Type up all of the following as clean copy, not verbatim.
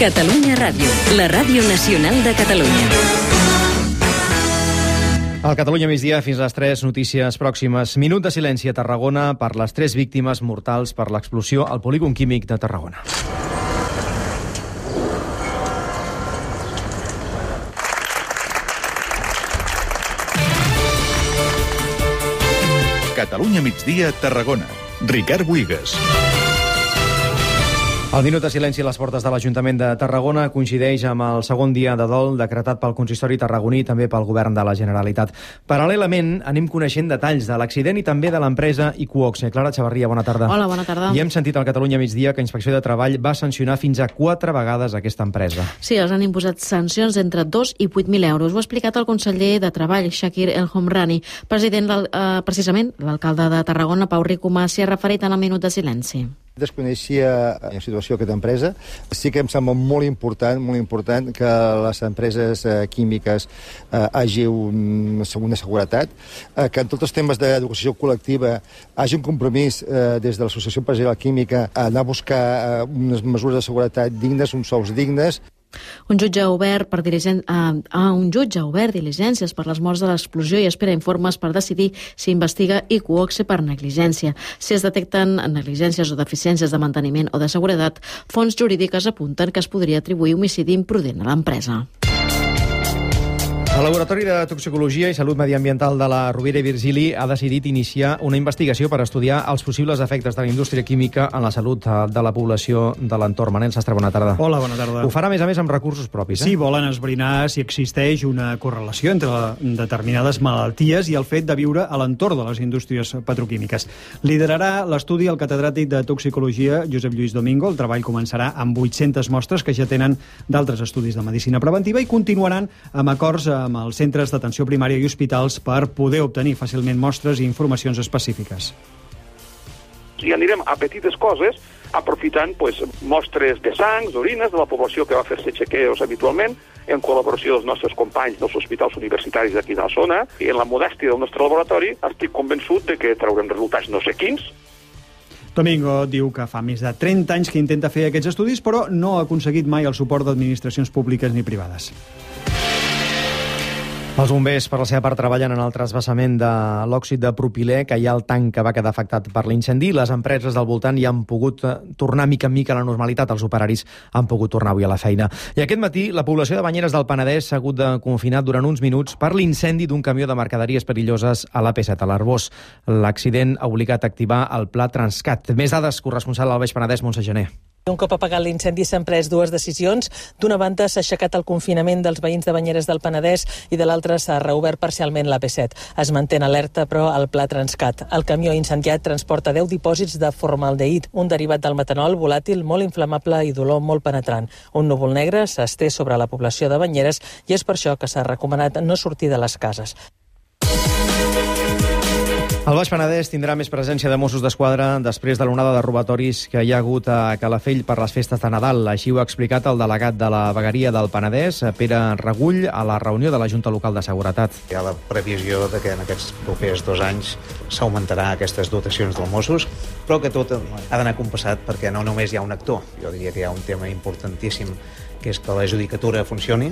Catalunya Ràdio, la ràdio nacional de Catalunya. Al Catalunya migdia, fins a les 3 notícies pròximes. Minut de silenci a Tarragona per les 3 víctimes mortals per l'explosió al polígon químic de Tarragona. Catalunya migdia, Tarragona. Ricard Buigas. El minut de silenci a les portes de l'Ajuntament de Tarragona coincideix amb el segon dia de dol decretat pel consistori tarragoní i també pel govern de la Generalitat. Paral·lelament, anem coneixent detalls de l'accident i també de l'empresa Iqoxe. Clara Xavarria, bona tarda. Hola, bona tarda. I hem sentit al Catalunya migdia que Inspecció de Treball va sancionar fins a 4 vegades aquesta empresa. Sí, els han imposat sancions entre 2 i 8.000 euros. Ho ha explicat el conseller de Treball, Shakir El Homrani. Precisament, l'alcalde de Tarragona, Pau Ricomà, s'hi ha referit en el minut de silenci. Desconeixia la situació d'aquesta empresa. Sí que em sembla molt important que les empreses químiques hagi una seguretat, que en tots els temes d'educació col·lectiva hagi un compromís des de l'Associació Empresarial Química a anar a buscar unes mesures de seguretat dignes, uns sous dignes. Un jutge ha obert diligències per les morts de l'explosió i espera informes per decidir si investiga Iqoxe per negligència. Si es detecten negligències o deficiències de manteniment o de seguretat, fonts jurídiques apunten que es podria atribuir homicidi imprudent a l'empresa. El Laboratori de Toxicologia i Salut Mediambiental de la Rovira i Virgili ha decidit iniciar una investigació per estudiar els possibles efectes de la indústria química en la salut de la població de l'entorn. Manel Sastre, bona tarda. Hola, bona tarda. Ho farà, a més, amb recursos propis. Sí, volen esbrinar si existeix una correlació entre determinades malalties i el fet de viure a l'entorn de les indústries petroquímiques. Liderarà l'estudi el catedràtic de Toxicologia, Josep Lluís Domingo. El treball començarà amb 800 mostres que ja tenen d'altres estudis de medicina preventiva i continuaran amb acords amb els centres d'atenció primària i hospitals per poder obtenir fàcilment mostres i informacions específiques. I anirem a petites coses, aprofitant mostres de sang, d'orines, de la població que va fer-se chequeos habitualment, en col·laboració dels nostres companys dels hospitals universitaris d'aquí de la zona, i en la modèstia del nostre laboratori estic convençut de que traurem resultats no sé quins. Domingo diu que fa més de 30 anys que intenta fer aquests estudis, però no ha aconseguit mai el suport d'administracions públiques ni privades. Els bombers, per la seva part, treballen en el trasbassament de l'òxid de propilè que hi ha al tanc que va quedar afectat per l'incendi. Les empreses del voltant hi han pogut tornar mica en mica a la normalitat. Els operaris han pogut tornar avui a la feina. I aquest matí, la població de Banyeres del Penedès s'ha hagut de confinar durant uns minuts per l'incendi d'un camió de mercaderies perilloses a l'AP7 a l'Arbós. L'accident ha obligat a activar el pla Transcat. Més dades, corresponsal al Baix Penedès, Montse Gené. Un cop apagat l'incendi s'han pres 2 decisions. D'una banda s'ha aixecat el confinament dels veïns de Banyeres del Penedès i de l'altra s'ha reobert parcialment l'AP7. Es manté en alerta, però, el pla Transcat. El camió incendiat transporta 10 dipòsits de formaldehid, un derivat del metanol volàtil molt inflamable i d'olor molt penetrant. Un núvol negre s'estén sobre la població de Banyeres i és per això que s'ha recomanat no sortir de les cases. El Baix Penedès tindrà més presència de Mossos d'Esquadra després de l'onada de robatoris que hi ha hagut a Calafell per les festes de Nadal. Així ho ha explicat el delegat de la vegueria del Penedès, Pere Regull, a la reunió de la Junta Local de Seguretat. Hi ha la previsió de que en aquests propers 2 anys s'augmentarà aquestes dotacions dels Mossos, però que tot ha d'anar compassat perquè no només hi ha un actor. Jo diria que hi ha un tema importantíssim, que és que la judicatura funcioni.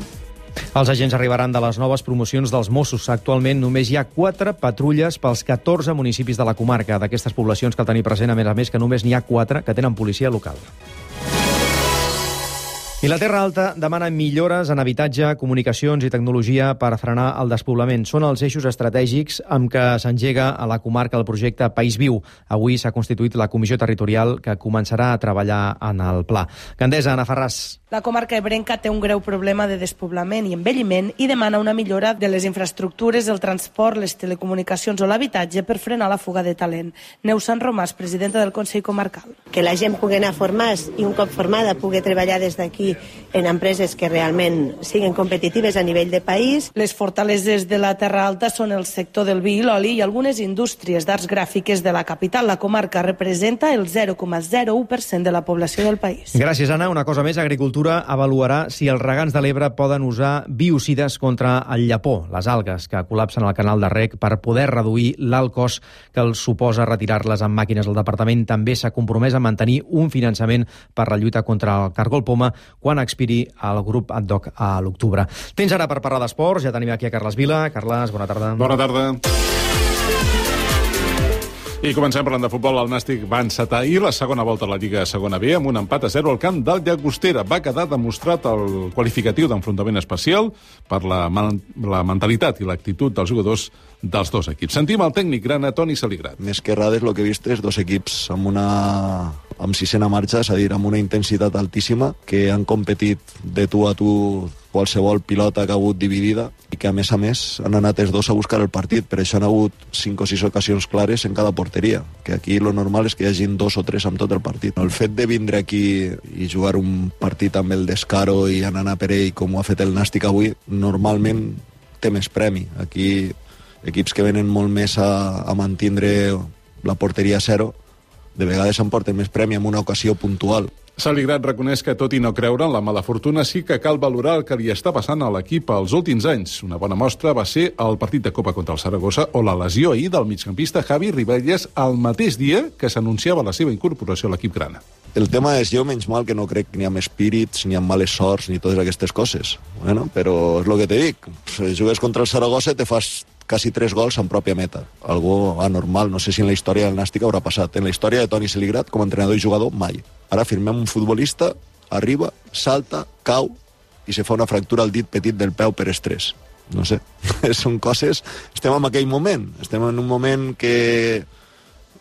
Els agents arribaran de les noves promocions dels Mossos. Actualment només hi ha 4 patrulles pels 14 municipis de la comarca. D'aquestes poblacions cal tenir present, a més, que només n'hi ha 4 que tenen policia local. I la Terra Alta demana millores en habitatge, comunicacions i tecnologia per frenar el despoblament. Són els eixos estratègics amb què s'engega a la comarca el projecte País Viu. Avui s'ha constituït la comissió territorial que començarà a treballar en el pla. Gandesa, Anna Ferràs. La comarca ebrenca té un greu problema de despoblament i envelliment i demana una millora de les infraestructures, el transport, les telecomunicacions o l'habitatge per frenar la fuga de talent. Neus Sant Romàs, presidenta del Consell Comarcal. Que la gent pugui anar a formar-se i un cop formada pugui treballar des d'aquí en empreses que realment siguin competitives a nivell de país. Les fortaleses de la Terra Alta són el sector del vi i l'oli i algunes indústries d'arts gràfiques de la capital. La comarca representa el 0,01% de la població del país. Gràcies, Anna. Una cosa més, Agricultura avaluarà si els regants de l'Ebre poden usar biocides contra el llapó, les algues que col·lapsen al canal de reg, per poder reduir l'alt cost que els suposa retirar-les amb màquines. El departament també s'ha compromès a mantenir un finançament per la lluita contra el cargol poma, quan expiri el grup ad hoc a l'octubre. Tens ara per parlar d'esports, ja tenim aquí a Carles Vila. Carles, bona tarda. Bona tarda. I comencem parlant de futbol. El Nàstic va encetar ahir la segona volta a la Lliga Segona B amb un empat a 0 al camp del Llagostera. Va quedar demostrat el qualificatiu d'enfrontament especial per la mentalitat i l'actitud dels jugadors dels dos equips. Sentim el tècnic grana, Toni Saligrat. Més que errades, el que he vist és dos equips amb sisena marxa, és a dir, amb una intensitat altíssima, que han competit de tu a tu qualsevol pilota que ha hagut dividida i que, a més, han anat els dos a buscar el partit. Per això han hagut 5 o 6 ocasions clares en cada porteria, que aquí lo normal és que hi hagin 2 o 3 amb tot el partit. El fet de vindre aquí i jugar un partit amb el descaro i anar per ell, com ho ha fet el Nàstic avui, normalment té més premi. Aquí equips que venen molt més a mantindre la porteria a 0, de vegades s'emporten més premi en una ocasió puntual. Saligrat reconeix que, tot i no creure en la mala fortuna, sí que cal valorar el que li està passant a l'equip els últims anys. Una bona mostra va ser el partit de Copa contra el Saragossa o la lesió ahir del migcampista Javi Ribelles el mateix dia que s'anunciava la seva incorporació a l'equip grana. El tema és, jo menys mal que no crec ni amb espírits, ni amb males sorts, ni totes aquestes coses. Bueno, però és el que te dic. Si jugues contra el Saragossa te fas quasi 3 gols en pròpia meta. Algo anormal, no sé si en la història del Nàstic haurà passat. En la història de Toni Saligrat, com a entrenador i jugador, mai. Ara firmem un futbolista, arriba, salta, cau i se fa una fractura al dit petit del peu per estrès. No sé, són coses... Estem en aquell moment. Estem en un moment que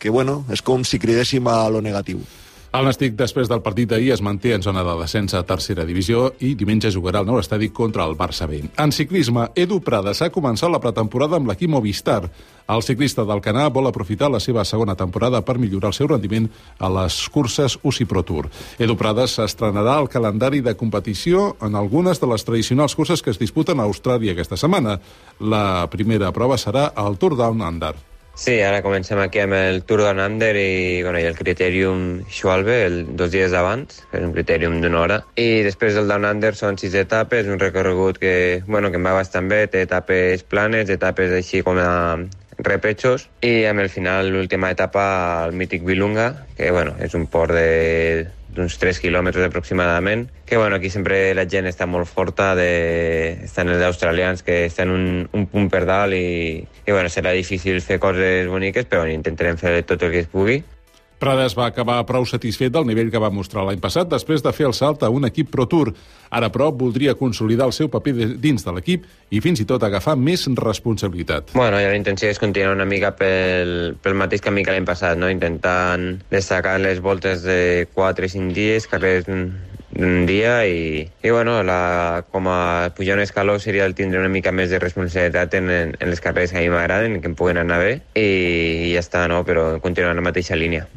bueno, és com si cridéssim a lo negatiu. El Nàstic, després del partit d'ahir, es manté en zona de descens a tercera divisió i diumenge jugarà al nou estadi contra el Barça B. En ciclisme, Edu Prades ha començat la pretemporada amb l'equip Movistar. El ciclista d'Alcanar vol aprofitar la seva segona temporada per millorar el seu rendiment a les curses UCI Pro Tour. Edu Prades s'estrenarà el calendari de competició en algunes de les tradicionals curses que es disputen a Austràlia aquesta setmana. La primera prova serà el Tour Down Under. Sí, ara comencem aquí amb el Tour Down Under i el Critérium Schwalbe 2 dies abans, és un critèrium d'1 hora. I després del Down Under són 6 etapes, un recorregut que em va bastant bé, té etapes planes, etapes així com a repechos, i amb el final, l'última etapa, el mític Vilunga, que és un port d'uns 3 quilòmetres aproximadament, que aquí sempre la gent està molt forta, estan els australians que estan un punt per dalt i serà difícil fer coses boniques, però intentarem fer tot el que es pugui. Prades va acabar prou satisfet del nivell que va mostrar l'any passat després de fer el salt a un equip Pro Tour. Ara, però, voldria consolidar el seu paper dins de l'equip i fins i tot agafar més responsabilitat. La intenció és continuar una mica pel mateix camí que l'any passat, intentant destacar les voltes de 4 i 5 dies, carrers un dia i com a pujar un escaló seria el tindre una mica més de responsabilitat en les carreres que a mi m'agraden, que em puguen anar bé i ja està, però continuar en la mateixa línia.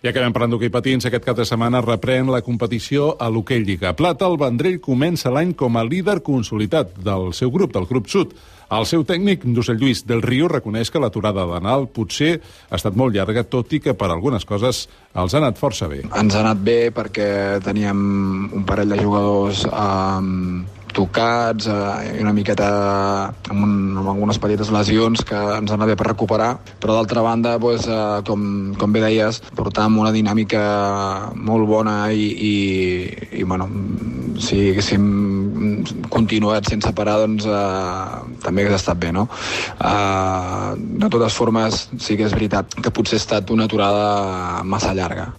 I acabem parlant d'hoquei patins. Aquest cap de setmana reprèn la competició a l'Hoquei Lliga Plata. El Vendrell comença l'any com a líder consolidat del seu grup, del grup sud. El seu tècnic, José Lluís del Río, reconeix que l'aturada d'Anal potser ha estat molt llarga, tot i que per algunes coses els ha anat força bé. Ens ha anat bé perquè teníem un parell de jugadors tocats i una miqueta amb algunes petites lesions que ens han anat bé per recuperar, però d'altra banda, com bé deies, portàvem una dinàmica molt bona i si haguéssim continuat sense parar, també hagués estat bé, no? De totes formes, sí que és veritat que potser ha estat una aturada massa llarga.